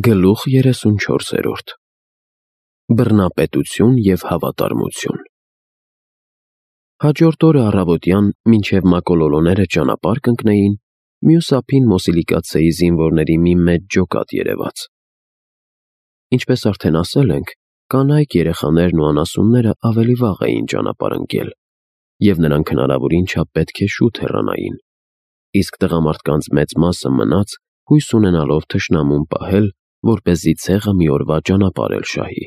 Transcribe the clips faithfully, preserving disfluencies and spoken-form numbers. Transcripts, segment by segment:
Գլուխ երեսունչորսերորդ Բռնապետություն և հավատարմություն։ Հաջորդ օրը առավոտյան, մինչև մակոլոլոները ճանապարհ կընկնեին, մյուս ափին Մոսիլիկացեի զինվորների մի մեծ ջոկատ երևաց։ Ինչպես արդեն ասել ենք, կանայք, երեխաներն ու անասունները ավելի վաղ էին ճանապարհ ընկել, և նրանք հնարավորին չափ պետք է շուտ հեռանային, իսկ տղամարդկանց մեծ մասը մնաց, հույս ունենալով թշնամուն պահել, որպեսզի ցեղը մի օրվա ճանապարհ շահի։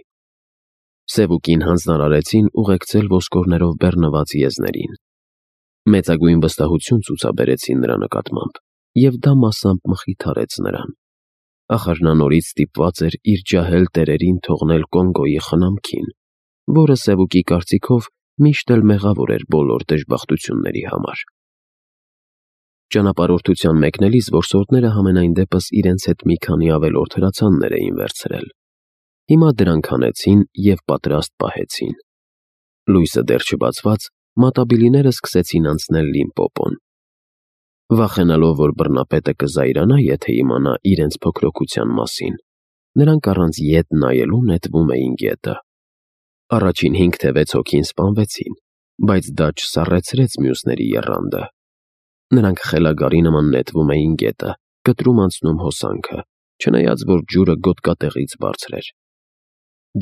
Սևուկին հանձնարարեցին ուղեկցել ոսկորներով բեռնված եզներին։ Մեծագույն վստահություն ցուցաբերեցին նրա նկատմամբ, և դա մասամբ մխիթարեց նրան։ Ախր նա նորից ստիպված էր իր ջահել տերերին թողնել Կոնգոյի խնամքին, որը Սևուկի կարծիքով միշտ էլ մեղավոր էր բոլոր դժբախտությունների համար։ Ճանապարհորդության մեկնելիս որսորդները համենայն դեպս իրենց հետ մի քանի ավելորդ հրացաններ էին վերցրել։ Հիմա դրանք հանեցին և պատրաստ պահեցին։ Լույսը դեռ չբացված, մատաբիլիները սկսեցին անցնել Լիմպոպոն։ Վախենալով, որ բռնապետը կզայրանա, եթե իմանա իրենց փոքրոքության մասին, նրանք առանց ետ նայելու նետվում էին գետը։ Առաջին հինգ թե վեց հոգին սպանվեցին, բայց դա չսառեցրեց մյուսների եռանդը։ Նրանք խելագարի նման նետվում էին գետը, կտրում անցնում հոսանքը, չնայած որ ջուրը գոտկատեղից բարձր էր։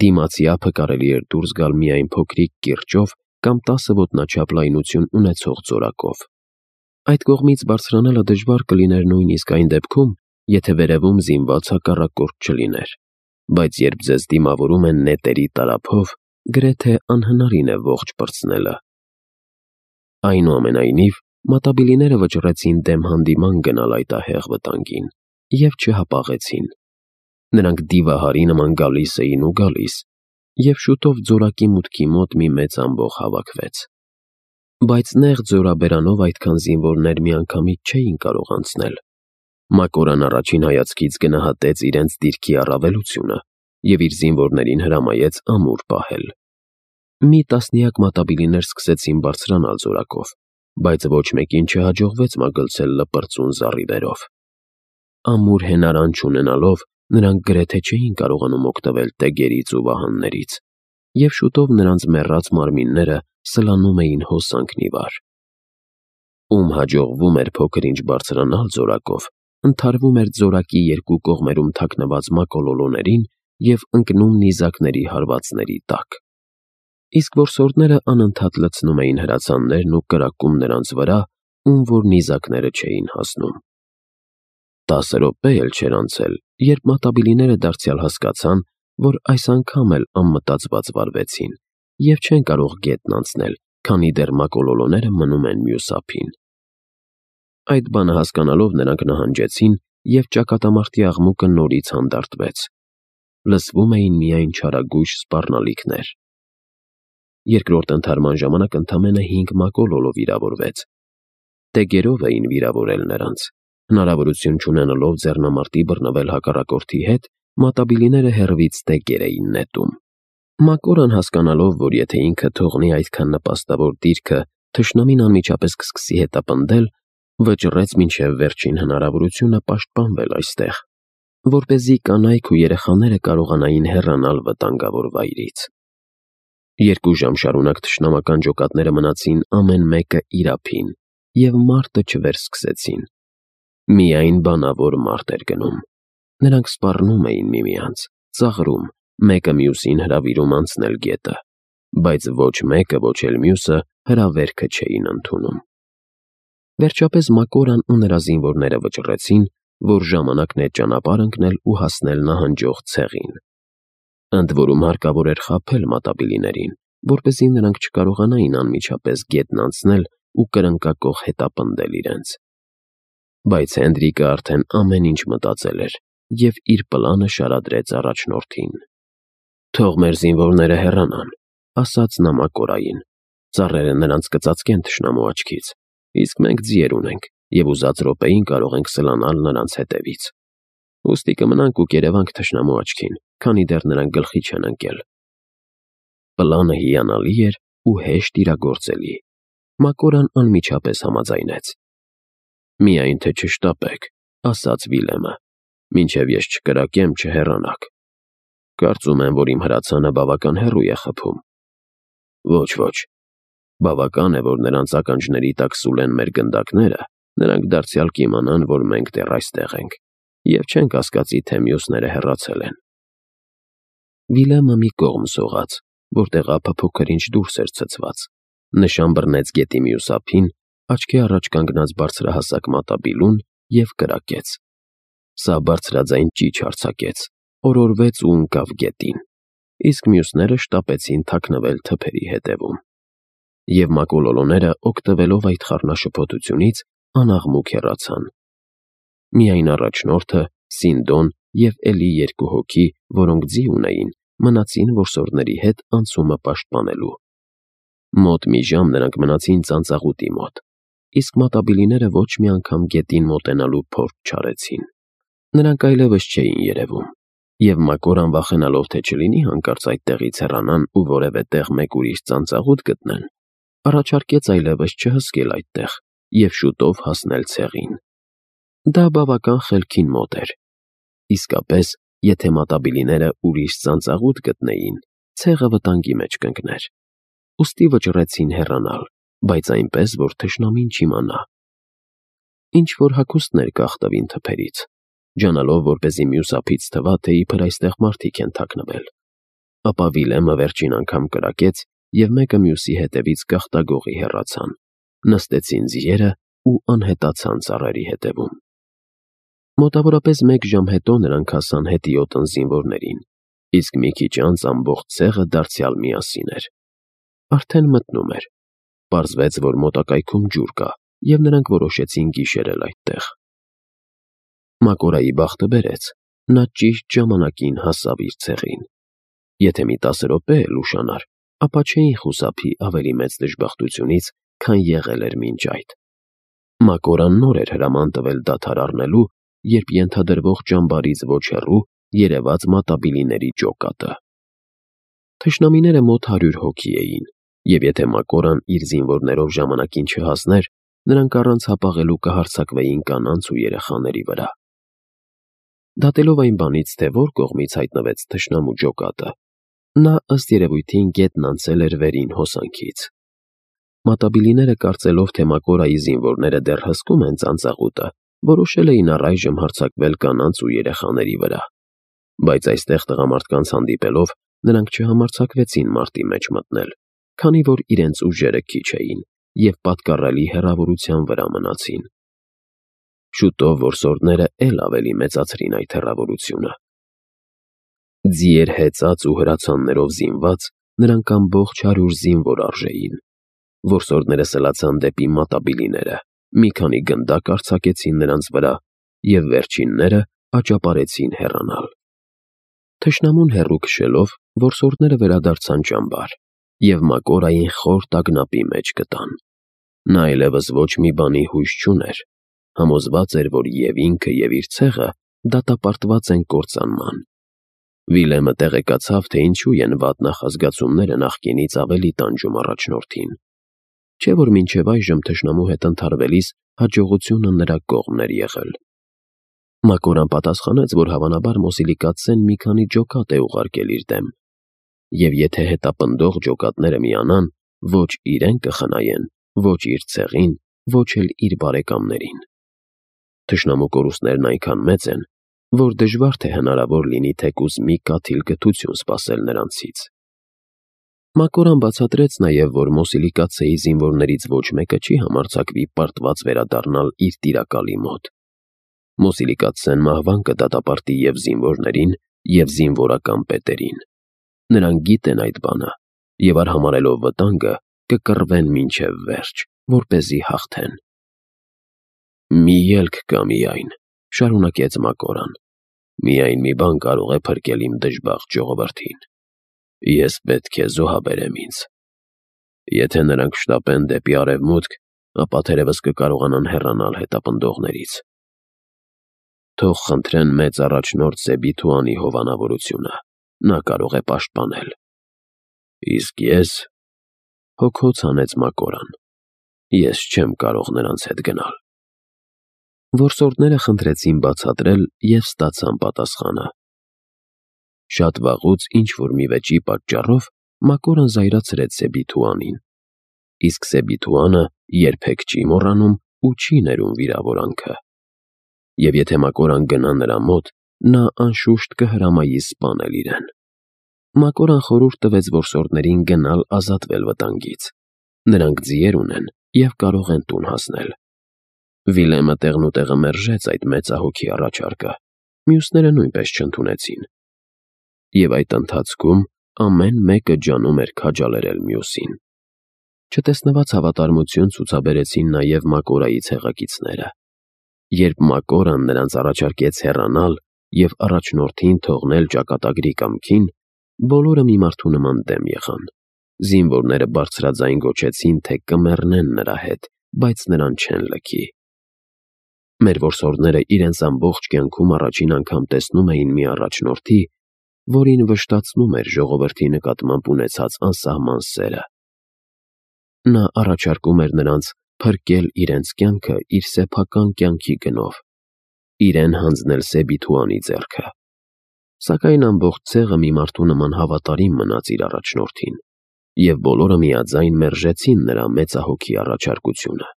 Դիմացի ափը կարելի էր դուրս գալ միայն փոքրիկ կիրճով կամ տասը ոտնաչափ լայնություն ունեցող ձորակով։ Այդ կողմից բարձրանալը դժվար կլիներ նույնիսկ այն դեպքում, եթե վերևում զինված հակառակորդ չլիներ, բայց երբ ձեզ դիմավորում են նետերի տարափով, գրեթե անհնարին է ողջ պրծնելը։ Այնուամենայնիվ, մատաբիլիները վճռեցին դեմ հանդիման գնալ այդ ահեղ վտանգին և չհապաղեցին։ Նրանք դիվահարի նման գալիս էին ու գալիս, և շուտով ձորակի մուտքի մոտ մի մեծ ամբոխ հավաքվեց։ Բայց նեղ ձորաբերանով այդքան զինվորներ միանգամից չէին կարող անցնել։ Մակորան առաջին հայացքից գնահատեց իրենց դիրքի առավելությունը և իր զինվորներին հրամայեց ամուր պահել։ Մի տասնյակ մատաբիլիներ սկսեցին բարձրանալ ձորակով, բայց ոչ մեկին չհաջողվեց մագլցել լպրծուն զառիվերով։ Ամուր հենարան չունենալով, նրանք գրեթե չէին կարողանում օգտվել տեգերից ու վահաններից, և շուտով նրանց մեռած մարմինները սլանում էին հոսանքն ի վար։ Ում հաջողվում էր փոքր-ինչ բարձրանալ ձորակով, ընդհարվում էր ձորակի երկու կողմերում թաքնված մակոլոլոներին և ընկնում նիզակների հարվածների տակ։ Իսկ որսորդները անընդհատ լցնում էին հրացաններն ու կրակում նրանց վրա, ում որ նիզակները չէին հասնում։ Տասը րոպե էլ չէր անցել, երբ մատաբիլիները դարձյալ հասկացան, որ այս անգամ էլ անմտածված վարվեցին և չեն կարող գետն անցնել, քանի դեռ մակոլոլոները մնում են մյուս ափին։ Այդ բանը հասկանալով նրանք նահանջեցին, և ճակատամարտի աղմուկը նորից հանդարտվեց։ Լսվում էին միայն չարագույժ սպառնալիքներ։ Երկրորդ ընդհարման ժամանակ ընդամենը հինգ մակոլոլո վիրավորվեց։ Տեգերով էին վիրավորել նրանց։ Հնարավորություն չունենալով ձեռնամարտի բռնվել հակառակորդի հետ, մատաբիլիները հեռվից տեգեր էին նետում։ Մակորան հասկանալով, որ եթե ինքը թողնի այդքան նպաստավոր դիրքը, թշնամին անմիջապես կսկսի հետապնդել, վճռեց մինչև վերջին հնարավորությունը պաշտպանվել այստեղ, որպեսզի կանայք ու երեխաները կարողանային հեռանալ վտանգավոր վայրից։ Երկու ժամ շարունակ թշնամական ջոկատները մնացին ամեն մեկը իր ափին, և մարտը չվերսկսեցին։ Միայն բանավոր մարտ էր գնում։ Նրանք սպառնում էին միմյանց, ծաղրում, մեկը մյուսին հրավիրում անցնել գետը, բայց ոչ մեկը, ոչ էլ մյուսը հրավերքը չէին ընդունում։ Վերջապես Մակորան ու նրա զինվորները վճռեցին, որ ժամանակն է ճանապարհ ընկնել ու հասնել նահանջող ցեղին։ Ընդ որում հարկավոր էր խաբել մատաբիլիներին, որպեսզի նրանք չկարողանային անմիջապես գետն անցնել ու կրնկակոխ հետապնդել իրենց։ Բայց Հենդրիկը արդեն ամեն ինչ մտածել էր և իր պլանը շարադրեց առաջնորդին։ «Թող մեր զինվորները հեռանան», ասաց նա Մակորային։ «Ծառերը նրանց կծածկեն թշնամու աչքից, իսկ մենք ձիեր ունենք և ուզած րոպեին կարող ենք սլանալ նրանց հետևից։ Ուստի կմնանք ու կերևանք թշնամու աչքին, քանի դեռ նրանք գլխի չեն ընկել»։ Պլանը հիանալի էր ու հեշտ իրագործելի։ Մակորան անմիջապես համաձայնեց։ «Միայն թե չշտապեք», ասաց Վիլեմը։ Մինչև ես չկրակեմ, չհեռանաք։ Կարծում եմ, որ իմ հրացանը բավական հեռու է խփում։ Ոչ, ոչ։ Բավական է, որ նրանց ականջների տակ սուլեն մեր գնդակները, նրանք դարձյալ կիմանան, որ մենք դեռ այստեղ ենք, և չեն կասկածի, թե մյուսները հեռացել են։ Վիլյամը մի կողմ սողաց, որտեղ ափը փոքր-ինչ դուրս էր ցցված, նշան բռնեց գետի մյուս ափին, աչքի առաջ կանգնած բարձրահասակ մատաբիլուն և կրակեց։ Սա բարձրաձայն ճիչ արձակեց, օրորվեց ու ընկավ գետին, իսկ մյուսները շտապեցին թաքնվել թփերի հետևում։ Եվ մակոլոլոները, օգտվելով այդ խառնաշփոթությունից, անաղմուկ հեռացան։ Միայն առաջնորդը, Սինդոն և էլի երկու հոգի, որոնք ձի ունեին, մնացին որսորդների հետ անցումը պաշտպանելու։ Մոտ մի ժամ նրանք մնացին ծանծաղուտի մոտ, իսկ մատաբիլիները ոչ մի անգամ գետին մոտենալու փորձ չարեցին։ Նրանք այլևս չէին երևում, և Մակորան, վախենալով, թե չլինի հանկարծ այդտեղից հեռանան ու որևէ տեղ մեկ ուրիշ ծանծաղուտ գտնեն, առաջարկեց այլևս չհսկել այդտեղ և շուտով հասնել ցեղին։ Դա բավական խելքին մոտ էր։ Իսկապես, եթե մատաբիլիները ուրիշ ծանծաղուտ գտնեին, ցեղը վտանգի մեջ կընկներ։ Ուստի վճռեցին հեռանալ, բայց այնպես, որ թշնամին չիմանա։ Ինչ-որ հագուստներ կախտվին թփերից, ջանալով, որպեսզի մյուս ափից թվա, թե իբր այստեղ մարդիկ են թաքնվել։ Ապա Վիլյամը վերջին անգամ կրակեց, և մեկը մյուսի հետևից գաղտագողի հեռացան, նստեցին ձիերը ու անհետացան ծառերի հետևում։ Մոտավորապես մեկ ժամ հետո նրանք հասան հետիոտն զինվորներին, իսկ մի քիչ անց ամբողջ ցեղը դարձյալ միասին էր։ Արդեն մթնում էր։ Պարզվեց, որ մոտակայքում ջուր կա, և նրանք որոշեցին գիշերել այդտեղ։ Մակորայի բախտը բերեց, նա ճիշտ ժամանակին հասավ իր ցեղին։ Եթե մի տասը րոպե էլ ուշանար, ապա չէին խուսափի ավելի մեծ դժբախտությունից, քան եղել էր մինչ այդ։ Մակորան նոր էր հրաման տվել դադար առնելու, երբ ենթադրվող ճամբարից ոչ հեռու երևաց մատաբիլիների ջոկատը։ Թշնամիները մոտ հարյուր հոգի էին, և եթե Մակորան իր զինվորներով ժամանակին չհասներ, նրանք առանց հապաղելու կհարձակվեին կանանց ու երեխաների վրա։ Դատելով այն բանից, թե որ կողմից հայտնվեց թշնամու ջոկատը, նա ըստ երևույթին գետն անցել էր վերին հոսանքից։ Մատաբիլիները, կարծելով, թե Մակորայի զինվորները դեռ հսկում են ծանծաղուտը, որոշել էին առայժմ հարձակվել կանանց ու երեխաների վրա։ Բայց այստեղ տղամարդկանց հանդիպելով, նրանք չհամարձակվեցին մարտի մեջ մտնել, քանի որ իրենց ուժերը քիչ էին և պատկառելի հեռավորության վրա մնացին։ Շուտով որսորդները էլ ավելի մեծացրին այդ հեռավորությունը։ Ձիեր հեծած ու հրացաններով զինված, նրանք ամբողջ հարյուր զինվոր արժեին։ Որսորդները սլացան դեպի մատաբիլիները, մի քանի գնդակ արձակեցին նրանց վրա և վերջինները աճապարեցին հեռանալ։ Թշնամուն հեռու քշելով, որսորդները վերադարձան ճամբար և Մակորային խոր տագնապի մեջ գտան։ Նա այլևս ոչ մի բանի հույս չուներ, համոզված էր, որ և ինքը, և իր ցեղը դատապարտված են կործանման։ Վիլյամը տեղեկացավ, թե ինչու են վատ նախազգացումները նախկինից ավելի տանջում առաջնորդին։ Չէ՞ որ մինչև այժմ թշնամու հետ ընդհարվելիս հաջողությունը նրա կողմն էր եղել։ Մակորան պատասխանեց, որ հավանաբար Մոսիլիկացեն մի քանի ջոկատ է ուղարկել իր դեմ, և եթե հետապնդող ջոկատները միանան, ոչ իրեն կխնայեն, ոչ իր ցեղին, ոչ էլ իր բարեկամներին։ Թշնամու կորուստներն այնքան մեծ են, որ դժվար թե հնարավոր լինի թեկուզ մի կաթիլ կթություն սպասել նրանցից։ Մակորան բացատրեց նաև, որ Մոսիլիկացեի զինվորներից ոչ մեկը չի համարձակվի պարտված վերադառնալ իր տիրակալի մոտ։ Մոսիլիկացեն մահվան կդատապարտի և զինվորներին, և զինվորական պետերին։ Նրանք գիտեն այդ բանը, և արհամարհելով վտանգը, կկռվեն մինչև վերջ, որպեսզի հաղթեն։ «Մի ելք կա միայն», շարունակեց Մակորան, «միայն մի բան կարող է փրկել իմ դժբախտ ժողովրդին։ Ես պետք է զոհաբերեմ ինձ։ Եթե նրանք շտապեն դեպի արևմուտք, ապա թերևս կկարողանան հեռանալ հետապնդողներից։ Թող խնդրեն մեծ առաջնորդ Սեբիթուանի հովանավորությունը, նա կարող է պաշտպանել։ Իսկ ես…» Հոգոց հանեց Մակորան, «ես չեմ կարող նրանց հետ գնալ»։ Որսորդները խնդրեցին բացատրել և ստացան պատասխանը։ Շատ վաղուց ինչ-որ մի վեճի պատճառով Մակորան զայրացրեց Սեբիթուանին, իսկ Սեբիթուանը երբեք չի մոռանում ու չի ներում վիրավորանքը։ Եվ եթե Մակորան գնա նրա մոտ, նա անշուշտ կհրամայի սպանել իրեն։ Մակորան խորհուրդ տվեց որսորդներին գնալ ազատվել վտանգից։ Նրանք ձիեր ունեն և կարող են տուն հասնել։ Վիլեմը տեղնուտեղը մերժեց այդ մեծահոգի առաջարկը, մյուսները նույնպես չընդունեցին։ Եվ այդ ընթացքում ամեն մեկը ջանում էր քաջալերել մյուսին։ Չտեսնված հավատարմություն ցուցաբերեցին նաև Մակորայի ցեղակիցները։ Երբ Մակորան նրանց առաջարկեց հեռանալ և առաջնորդին թողնել ճակատագրի կամքին, բոլորը մի մարդու նման դեմ եղան։ Զինվորները բարձրաձայն գոչեցին, թե կմեռնեն նրա հետ, բայց նրան չեն լքի։ Մեր որսորդները իրենց ամբողջ կյանքում առաջին անգամ տեսնում էին մի առաջնորդի, որին վշտացնում էր ժողովրդի նկատմամբ ունեցած անսահման սերը։ Նա առաջարկում էր նրանց փրկել իրենց կյանքը իր սեփական կյանքի գնով, իրեն հանձնել Սեբիթուանի ձեռքը։ Սակայն ամբողջ ցեղը մի մարդու նման հավատարիմ մնաց իր առաջնորդին, և բոլորը միաձայն մերժեցին նրա մեծահոգի առաջարկությունը։